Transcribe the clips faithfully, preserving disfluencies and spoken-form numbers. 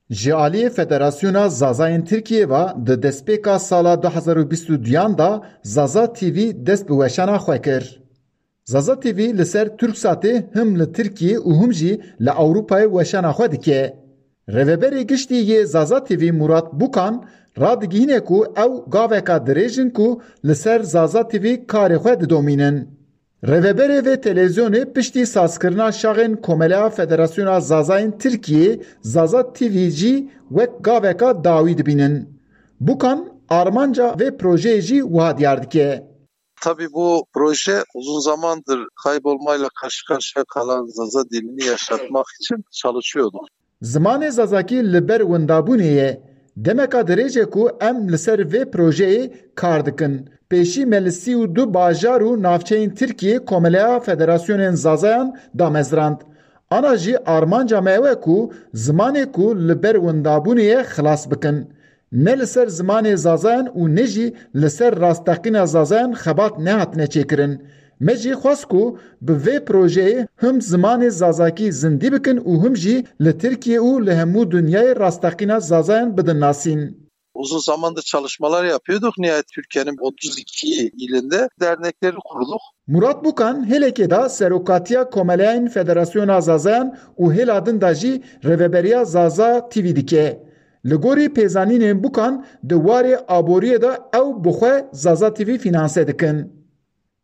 Ji aliyê Federasyona Zazayên Tirkiyê ve di destpêka sala du hezar û bîst û duyan de Zaza T V dest bi weşana xwe kir. Zaza T V li ser Turksatê him li Tirkiyê û him jî li Ewropayê weşana xwe dike. Rêveberê giştî yê Zaza T V Murat Bukan radigihîne ku ew gaveka dirêj in ku li ser Zaza T V karê xwe didomînin. Rêveberê vê televîzyonê piştî sazkirina şaxên Komeleya Federasyona Zazayên Tirkiyê Zaza T V jî wek gaveka dawî dibînin. Bukan armanca vê projeyê jî wiha diyar dike. Tabii bu proje uzun zamandır kaybolmayla karşı karşıya kalan Zaza dilini yaşatmak için çalışıyorduk. Zimanê Zazakî li ber windabûnê ye. Demeka dirêj e ku em li ser vê projeyê kar dikin. Pêşî me li sî û du bajar û navçeyên Tirkiyê Komeleya Federasyonên Zazayan damezrand. Ana jî armanca me ew e ku zimanê ku li ber windabûnê ye xilas bikin. Ne li ser zimanê Zazayan û ne jî li ser rasteqîna Zazayan xebat nehatine çêkirin. Me jî xwest ku bi vê projeyê him zimanê Zazakî zindî bikin û him jî li Tirkiye û li hemû dinyayê rasteqîna Zazayan bidin nasîn. Uzun zamandır çalışmalar yapıyorduk. Nihayet Türkiye'nin otuz iki ilinde dernekleri kurduk. Murat Bukan hêlekê de serokatiya Komeleyên Federasyona Zazayan û hêla din de jî rêveberiya Zaza T V dike. Li gorî pêzanînên Bukan di warê aboriyê de ew bi xwe Zaza T V fînanse dikin.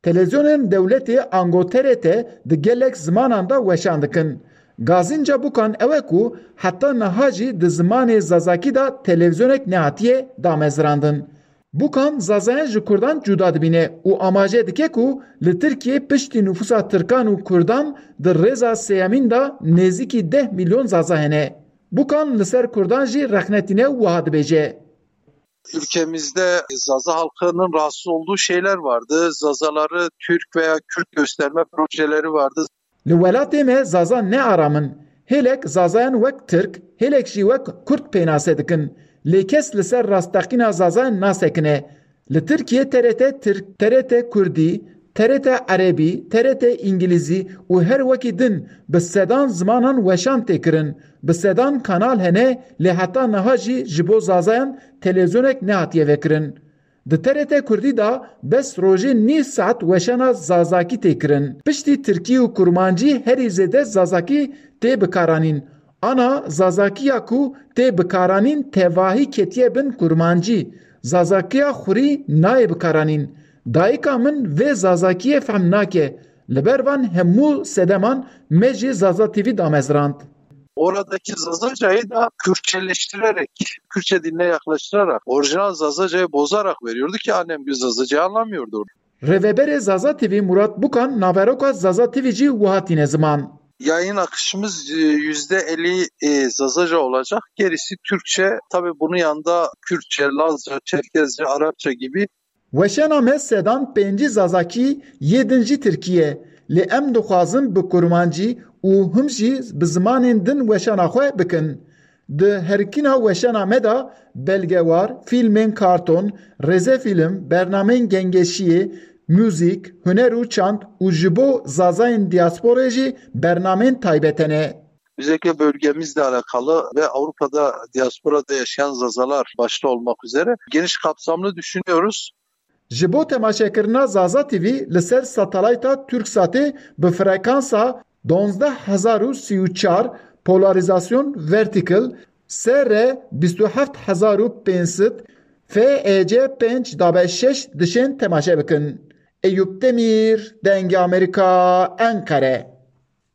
Televîzyonên dewletê ango T R T di gelek zimanan de weşan dikin. Gazînca Bukan ew e ku heta niha jî di zimanê Zazakî de televîzyonek nehatiye damezrandin. Bukan Zazayan ji Kurdan cuda dibîne û amaje dike ku li Tirkiyê piştî nifûsa Tirkan û Kurdan di rêza sêyemîn de nêzîkî deh milyon Zaza hene. Bukan li ser Kurdan jî rexne tîne û wiha dibêje. Ülkemizde Zaza halkının rahatsız olduğu şeyler vardı. Zazaları Türk veya Kürt gösterme projeleri vardı. Li welatê me Zaza ne aram in. Hêlek Zazayan wek Tirk, hêlek jî wek Kurd pênase dikin. Lê kes li ser rasteqîna Zazayan nasekine. Li Tirkiyê T R T Tirk, T R T Kurdî, T R T Erebî, T R T Îngilîzî û her wekî din bi sedan zimanan weşan tê kirin. Bi sedan kanal hene, lê heta niha jî ji bo Zazayan televîzyonek nehatiye vekirin. Di T R T Kurdî de bes rojê nîv saet weşana Zazakî tê kirin. Piştî Tirkî û Kurmancî herî zêde Zazakî tê bikaranîn. Ana Zazakiya ku tê bikaranîn tevahî ketiye bin Kurmancî. Zazakiya xurî nayê bikaranîn. Dayika min vê Zazakiyê fehm nake. Li ber van hemû sedeman me jî Zaza T V damezrand. Oradaki Zazacayı da Kürtçeleştirerek, Kürtçe diline yaklaştırarak, orijinal Zazacayı bozarak veriyordu ki annem bir Zazacayı anlamıyordu orada. Rêveberê Zaza T V Murat Bukan naveroka Zaza T V jî wiha tîne ziman. Yayın akışımız e, yüzde elli e, Zazaca olacak. Gerisi Türkçe. Tabii bunun yanında Kürtçe, Lazca, Çerkezce, Arapça gibi. Weşana me sedan pêncî Zazakî, yê din jî Tirkî ye. Lê em dixwazin bi Kurmancî û him jî bi zimanên din weşana xwe bikin. Di herikîna weşana me de belgewar, fîlmên karton, rêzefîlm, bernameyên gengeşiyê, muzîk, huner û çand û ji bo Zazayên diasporê jî bernameyên taybet hene. Özellikle bölgemizle alakalı ve Avrupa'da diasporada yaşayan Zazalar başta olmak üzere geniş kapsamlı düşünüyoruz. Ji bo temaşekirina Zaza T V li ser satelayta Turksatê bi frekansa duwazdeh hezar û sî û çar, polarizasyon vertikal, S R bîst û heft hezar û pênc sed, F E C pênc dabe şeş dişên temaşe bikin. Eyûp Demîr, Dengê Amerîka, Enqere.